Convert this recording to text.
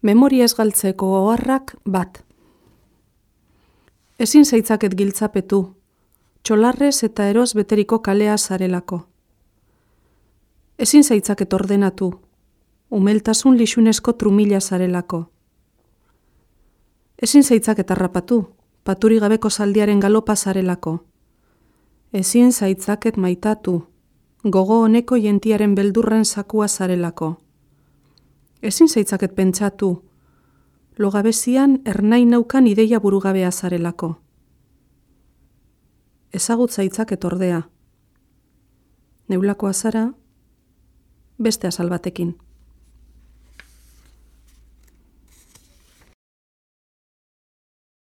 Memoria ez galtzeko oharrak bat. Ezin zaitzaket giltzapetu, txolarrez eta eroz beteriko kalea zarelako. Ezin zaitzaket ordenatu, umeltasun lixunesko trumila zarelako. Ezin zaitzaket harrapatu, paturi gabeko zaldiaren galopa zarelako. Ezin zaitzaket maitatu, gogo honeko jentiaren beldurren zakua zarelako. Ezin zaitzaket pentsatu, logabezian ernai naukan ideia burugabea zarelako. Ezagut zaitzaket ordea. Neulakoa zara, beste azal batekin.